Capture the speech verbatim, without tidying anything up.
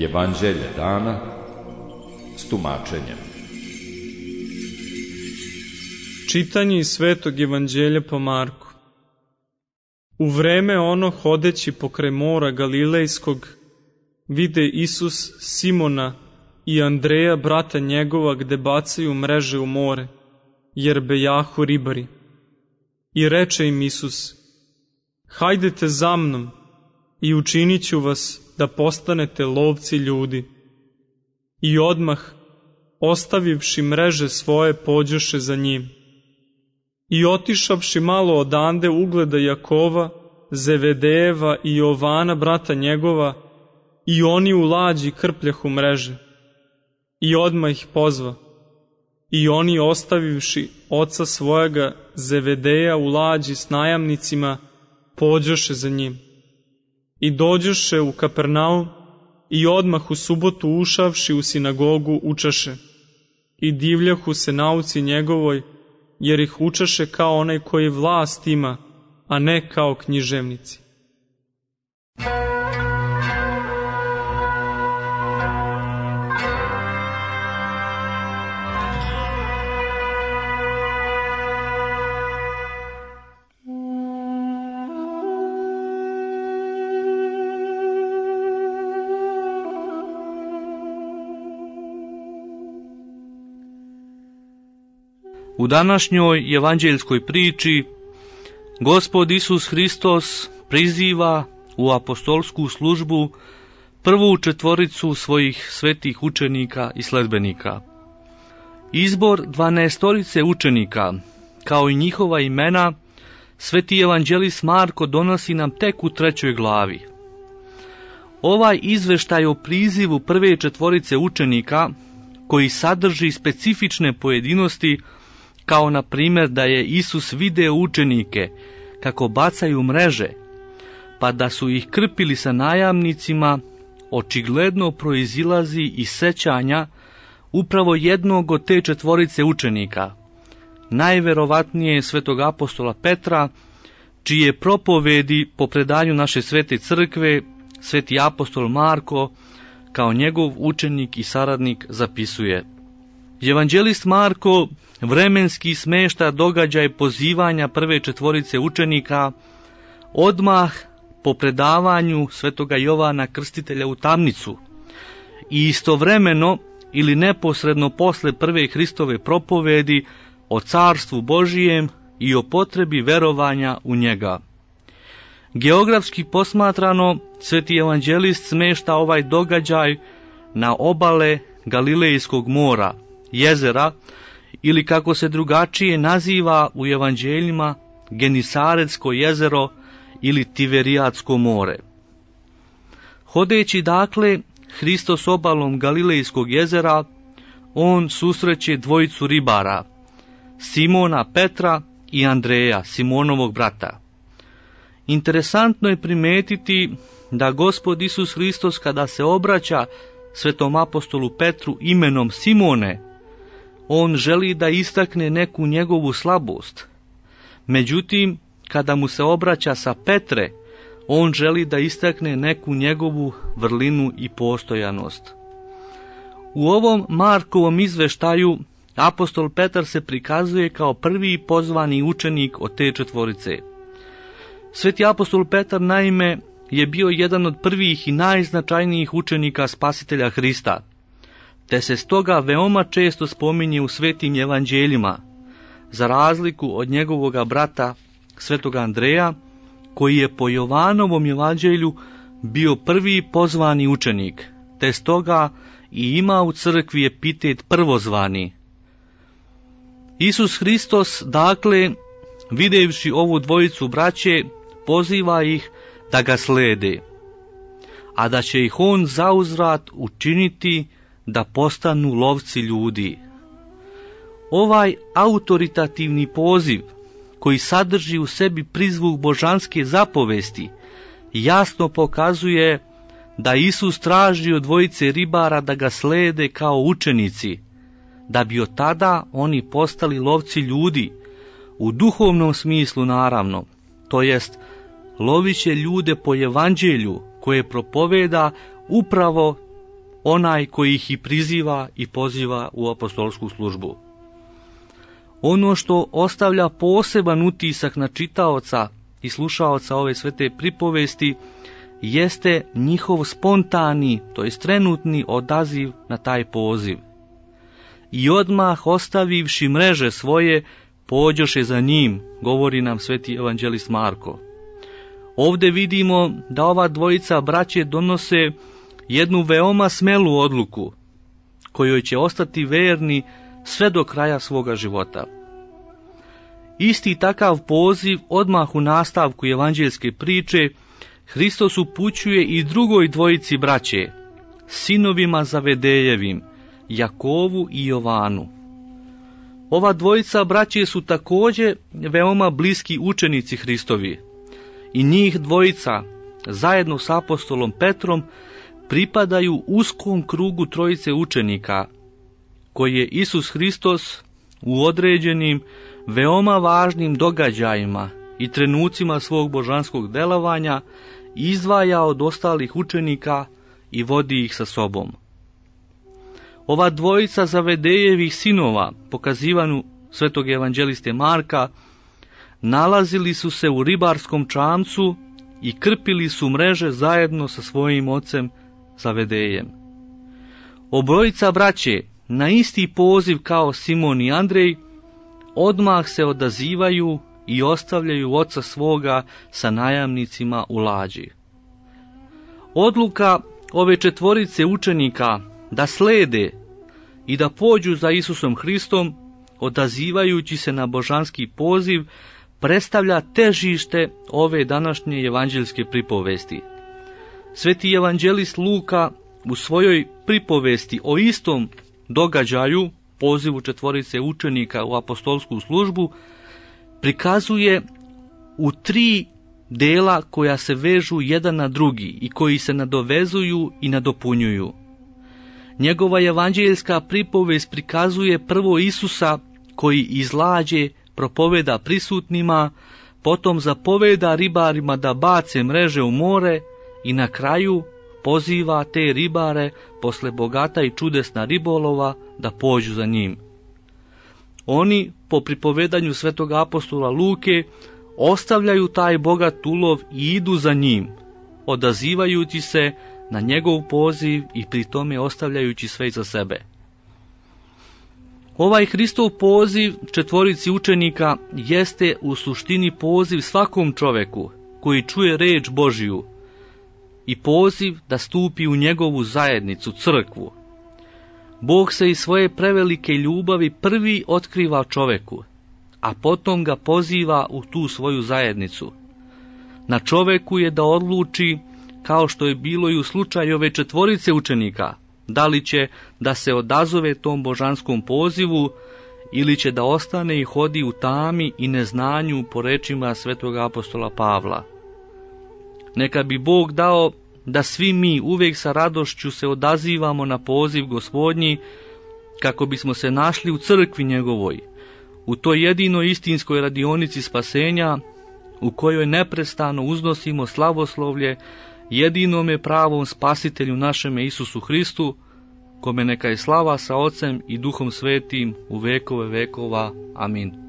Evanđelje dana s tumačenjem. Čitanje iz Svetog evanđelja po Marku. U vreme ono, hodeći pokraj mora Galilejskog, vide Isus Simona i Andreja, brata njegova, gde bacaju mreže u more, jer bejahu ribari. I reče im Isus: hajdete za mnom i učinit ću vas da postanete lovci ljudi. I odmah, ostavivši mreže svoje, pođoše za njim. I otišavši malo odande, ugleda Jakova, Zevedejeva i Jovana, brata njegova, i oni u lađi krpljahu mreže. I odmah ih pozva. I oni, ostavivši oca svojega Zevedeja u lađi s najamnicima, pođoše za njim. I dođoše u Kapernaum, i odmah u subotu ušavši u sinagogu učaše. I divljahu se nauci njegovoj, jer ih učaše kao onaj koji vlast ima, a ne kao književnici. U današnjoj evanđeljskoj priči Gospod Isus Hristos priziva u apostolsku službu prvu četvoricu svojih svetih učenika i sledbenika. Izbor dvanaestorice učenika, kao i njihova imena, sveti evanđelist Marko donosi nam tek u trećoj glavi. Ovaj izveštaj o prizivu prve četvorice učenika, koji sadrži specifične pojedinosti, kao na primjer da je Isus video učenike kako bacaju mreže, pa da su ih krpili sa najamnicima, očigledno proizilazi iz sećanja upravo jednog od te četvorice učenika, najverovatnije svetog apostola Petra, čije propovedi po predanju naše svete crkve sveti apostol Marko kao njegov učenik i saradnik zapisuje. Evanđelist Marko vremenski smešta događaj pozivanja prve četvorice učenika odmah po predavanju svetoga Jovana Krstitelja u tamnicu i istovremeno ili neposredno posle prve Hristove propovedi o carstvu Božijem i o potrebi verovanja u njega. Geografski posmatrano, sveti evanđelist smešta ovaj događaj na obale Galilejskog mora, jezera, ili kako se drugačije naziva u evanđeljima, Genisaretsko jezero ili Tiberijadsko more. Hodeći dakle Hristos obalom Galilejskog jezera, on susreće dvojicu ribara, Simona Petra i Andreja, Simonovog brata. Interesantno je primetiti da Gospod Isus Hristos, kada se obraća svetom apostolu Petru imenom Simone, on želi da istakne neku njegovu slabost. Međutim, kada mu se obraća sa Petre, on želi da istakne neku njegovu vrlinu i postojanost. U ovom Markovom izveštaju apostol Petar se prikazuje kao prvi pozvani učenik od te četvorice. Sveti apostol Petar naime je bio jedan od prvih i najznačajnijih učenika Spasitelja Hrista, te se stoga veoma često spominje u svetim evanđeljima, za razliku od njegovoga brata svetoga Andreja, koji je po Jovanovom evanđelju bio prvi pozvani učenik, te stoga i ima u crkvi epitet prvozvani. Isus Hristos, dakle, videvši ovu dvojicu braće, poziva ih da ga slede, a da će ih on zauzvrat učiniti da postanu lovci ljudi. Ovaj autoritativni poziv, koji sadrži u sebi prizvuk božanske zapovesti, jasno pokazuje da Isus traži od dvojice ribara da ga slede kao učenici, da bi od tada oni postali lovci ljudi, u duhovnom smislu naravno, to jest lovit će ljude po evanđelju koje propoveda upravo onaj koji ih i priziva i poziva u apostolsku službu. Ono što ostavlja poseban utisak na čitaoca i slušaoca ove svete pripovesti jeste njihov spontani, to jest trenutni odaziv na taj poziv. I odmah ostavivši mreže svoje, pođoše za njim, govori nam sveti evanđelist Marko. Ovdje vidimo da ova dvojica braće donose jednu veoma smelu odluku, kojoj će ostati verni sve do kraja svoga života. Isti takav poziv odmah u nastavku evanđeljske priče Hristos upućuje i drugoj dvojici braće, sinovima Zavedejevim, Jakovu i Jovanu. Ova dvojica braće su također veoma bliski učenici Hristovi i njih dvojica, zajedno s apostolom Petrom, pripadaju uskom krugu trojice učenika, koji je Isus Hristos u određenim, veoma važnim događajima i trenucima svog božanskog delovanja izdvaja od ostalih učenika i vodi ih sa sobom. Ova dvojica Zavedejevih sinova, pokazivanu svetog evanđeliste Marka, nalazili su se u ribarskom čamcu i krpili su mreže zajedno sa svojim ocem Zavedejem. Obojica braće, na isti poziv kao Simon i Andrej, odmah se odazivaju i ostavljaju oca svoga sa najamnicima u lađi. Odluka ove četvorice učenika da slede i da pođu za Isusom Hristom, odazivajući se na božanski poziv, predstavlja težište ove današnje evanđeljske pripovesti. Sveti evanđelist Luka u svojoj pripovesti o istom događaju, pozivu četvorice učenika u apostolsku službu, prikazuje u tri dela koja se vežu jedan na drugi i koji se nadovezuju i nadopunjuju. Njegova evanđeljska pripovest prikazuje prvo Isusa koji iz lađe propoveda prisutnima, potom zapoveda ribarima da bace mreže u more i na kraju poziva te ribare posle bogata i čudesna ribolova da pođu za njim. Oni, po pripovedanju svetog apostola Luke, ostavljaju taj bogat ulov i idu za njim, odazivajući se na njegov poziv i pri tome ostavljajući sve za sebe. Ovaj Hristov poziv četvorici učenika jeste u suštini poziv svakom čoveku koji čuje reč Božiju i poziv da stupi u njegovu zajednicu, crkvu. Bog se iz svoje prevelike ljubavi prvi otkriva čoveku, a potom ga poziva u tu svoju zajednicu. Na čoveku je da odluči, kao što je bilo i u slučaju ove četvorice učenika, da li će da se odazove tom božanskom pozivu ili će da ostane i hodi u tami i neznanju po rečima svetog apostola Pavla. Neka bi Bog dao da svi mi uvijek sa radošću se odazivamo na poziv Gospodnji, kako bismo se našli u crkvi njegovoj, u toj jedinoj istinskoj radionici spasenja, u kojoj neprestano uznosimo slavoslovlje jedinome pravom spasitelju našeme Isusu Hristu, kome neka je slava sa Ocem i Duhom Svetim u vekove vekova. Amin.